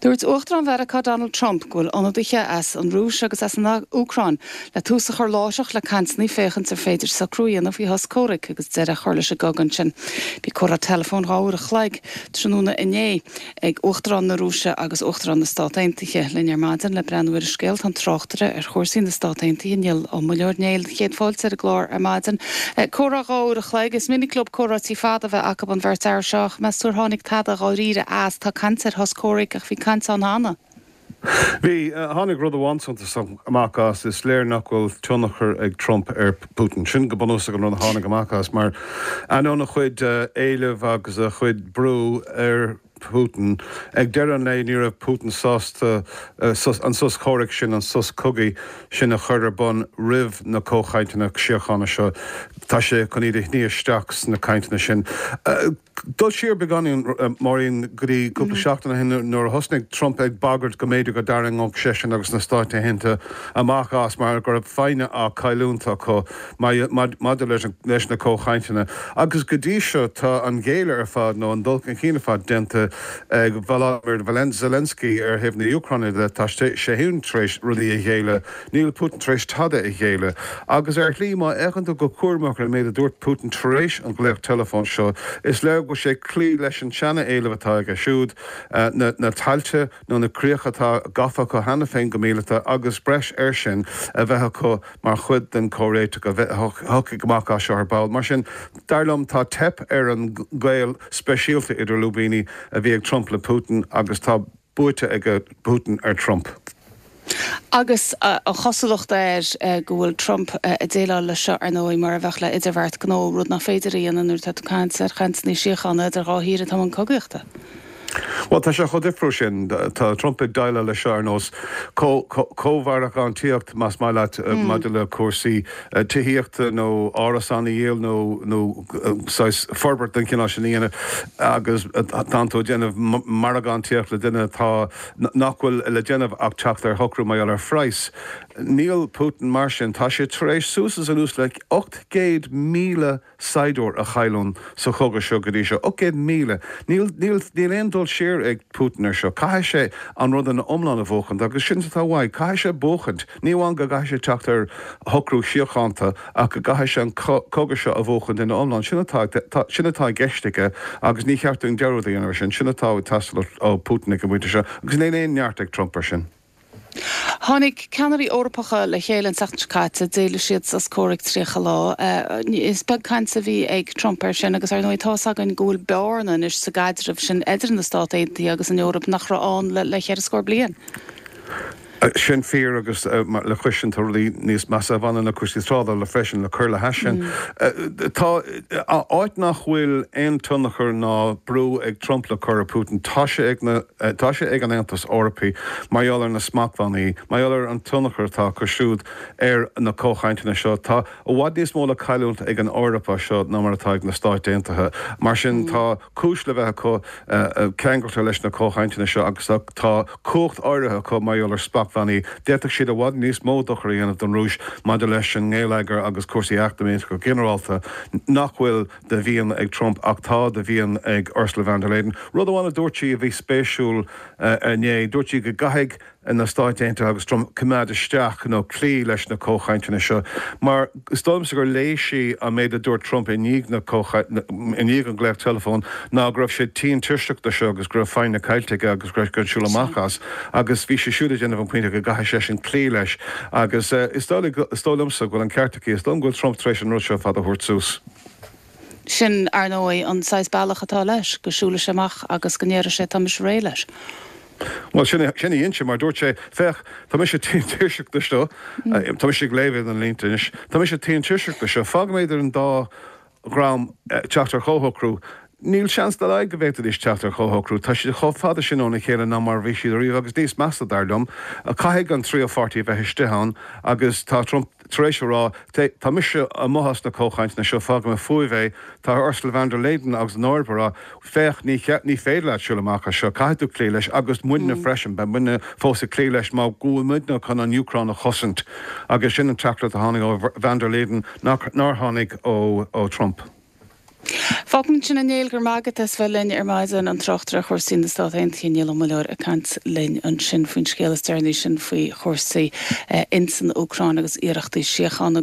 Dúirt Uachtarán Mheiriceá Donald Trump go bhfuil ionadaithe as an Rúis agus as an Úcráin le tús a chur láithreach le cainteanna féachaint ar féidir socrú a dhéanamh faoi shos comhraic agus deireadh a chur leis an gcogadh ansin. Bhí comhrá teileafóin 2 uair a chloig tráthnóna inné ag Uachtarán na Rúise agus Uachtarán na Stát Aontaithe. Linn ar maidin le breathnú ar an scéal tá an tráchtaire ar chúrsaí na Stát Aontaithe, Niall Ó Muilleoir. Néill, céad fáilte ar an gclár ar maidin. Comhrá 2 uair a chloig, is minic leo comhráití fada a bheith acu an bheirt fhear seo ach meas tú ar tháinig tada dháiríre as? Tá caint ar shos comhraic ach bhí caint ann cheana. Bhí. Tháinig rud amháin suntasach amach as, is léir nach bhfuil tionchar ag Trump ar Putin. Sin go bunúsach an rud a tháinig amach as, mar ainneoin a chuid éileamh agus a chuid brú ar Putin, ag deireadh an lae ní raibh Putin sásta an sos comhraic sin, an sos cogaidh sin a chur ar bun roimh na comhchainteanna síochána seo. Tá sé chun iad a shní isteach sna cainteanna sin. Dul siar beagáinín, Máirín, go dtí cúpla seachtain ó shin nuair a thosnaigh Trump ag bagairt go mb'fhéidir go dtarraingeodh seisean agus na Stáit Aontaithe amach as mar go raibh foighne á cailliúint acu maidir leis na comhchainteanna. Agus go dtí seo tá an géilleadh ar fad nó an dul chun cinn ar fad déanta ag Volodymyr Zelensky ar thaobh na hÚcráine de. Tá sé féin tar éis rudaí a ghéilleadh. Níl Putin tar éis tada a ghéilleadh. Agus ar shlí, má fhéachann tú go cúramach ar an méid a dúirt Putin tar éis an ghlaoch teileafóin seo, is léir go bhfuil sé ag cloí leis an seana-éileamh atá aige siúd, na tailte nó na críocha atá gafa acu cheana féin go míleata agus breis air sin a bheith acu mar chuid den chomhréiteach a thiocfaidh amach as seo ar ball. Mar sin, dar liom, tá teip ar an gaol speisialta idir lúibíní a bhí ag Trump le Putin agus tá buaite ag Putin ar Trump. Agus an chosúlacht air go bhfuil Trump ag déileáil leis seo, ar ndóigh, mar a bheadh le idirbheart gnó, rud nach féidir a dhéanamh nuair atá tú ag caint ar chainteanna síochána idir dhá thír atá i mbun cogaíochta. Bhuel, tá sé chomh difriúil sin. Tá Trump ag déileáil leis seo ar nós comh-mhargántaíocht, más maith leat, maidir le cúrsaí tithíochta nó árasán a dhíol nó nó saghas forbairt den chineál sin a dhéanamh agus tánn tú ag déanamh margántaíocht le duine atá nach bhfuil le déanamh ach teacht ar shocrú mar gheall ar phraghas. Níl Putin mar sin. Tá sé tar éis suas is anuas le 800,000 saighdiúir a chailliúint sa chogadh seo go dtí seo. 800,000! Níl, níl, níl aon dul siar ag Putin ar seo. Caithfidh sé an rud ina iomlán a bhuachaint agus sin atá uaidh. Caithfidh sé buachaint. Ní amháin go gcaithfidh sé teacht ar shocrú síochánta ach go gcaithfidh sé an cogadh seo a bhuachaint ina iomlán. Sin atá, sin atá i gceist aige agus ní cheart dúinn dearúd a dhéanamh ar sin. Sin atá ag teastáil ó Putin ag an bpointe seo agus níl aon neart ag Trump ar sin. Tháinig ceannairí Eorpacha le chéile an tseachtain seo caite, d'éiligh siad sos comhraic 30 lá. Is beag caint a bhí ag Trump air sin agus ar ndóigh tá's againn go bhfuil bearna anois sa gcaidreamh sin idir na Stát Aontaithe agus an Eoraip nach raibh ann le ceithre scór bliain. Sin fíor agus le cois sin tá rudaí níos measa a bhaineann le cúrsaí trádála freisin le cur le hais sin. Tá áit nach bhfuil aon tionchar ná brú ag Trump le cur ar Putin, tá sé ag na, tá sé ag an Aontas Eorpaí mar gheall ar na smachtbhannaí, mar gheall ar an tionchar atá acu siúd ar na comhchainteanna seo. Tá i bhfad níos mó le cailliúint ag an Eoraip as seo ná mar atá ag na Stáit Aontaithe. Mar sin tá cúis le bheith acu ceangailte leis na comhchainteanna seo agus tá cumhacht áirithe acu mar gheall ar smachtbhannaí. D'fhéadfadh siad i bhfad níos mó dochair a dhéanamh don Rúis maidir leis an ngeilleagar agus cúrsaí eacnamaíochta go ginearálta, nach bhfuil de mhian ag Trump ach tá de mhian ag Ursula von der Leyen. Rud amháin a dúirt sí a bhí spéisiúil inné, dúirt sí go gcaithfidh na Stáit Aontaithe agus Trump coimeád isteach nó cloí leis na comhchainteanna seo mar is dóigh liomsa gur léigh sí an méid a dúirt Trump i ndiaidh na i ndiaidh an glaoch teileafóin ná go raibh sé tinn tuirseach de seo agus go raibh foighne caillte aige agus go raibh sé chun siúl amach as agus bhí sí siúd ag déanamh an pointe go gcaithfidh seisean cloí leis agus is dóigh is dóigh liomsa go bhfuil an ceart aici, is dóigh liom go bhfuil Trump tar éis an rud seo ar fad a thabhairt suas. Sin, ar ndóigh, an saghas bealach atá leis, go siúlfaidh sé amach agus go ndéarfaidh sé tá mise réidh leis. Bhuel, sin é, sin a dhein sé, mar dúirt sé, féach, tá mise tinn tuirseach de seo, tá mise ag léamh idir na línte anois, tá mise tinn tuirseach de seo, fágfaidh mé idir an dá dhream teacht ar chomhshocrú. Níl seans dá laghad go bhféadfaidís teacht ar chomhshocrú, tá siad chomh fada sin óna chéile ná mar a bhí siad ariamh, agus níos measa, dar liom, caithfidh an tríú pháirtí a bheith istigh ann agus tá Trump tar éis a rá, tá mise amuigh as na comhchainteanna seo, fágfaidh mé fúibh é. Tá Ursula von der Leyen agus an Eoraip ag rá, féach, ní ní féidir leat siúl amach as seo, caithfidh tú cloí leis, agus muidne freisin, beidh muidne fós ag cloí leis mar go bhfuil muidne chun an Úcráin a chosaint. Agus sin an teachtaireacht a tháinig ó von der Leyen, nár tháinig ó Trump. Fágfaimid ansin é a Néill, go raibh maith agat as bheith linn ar maidin, an tráchtaire ar chúrsaí na Stát Aontaithe, Niall Ó Muilleoir ag caint linn ansin faoin scéal is deireanaí sin faoi chúrsaí ins an Úcráin agus iarrachtaí síochána.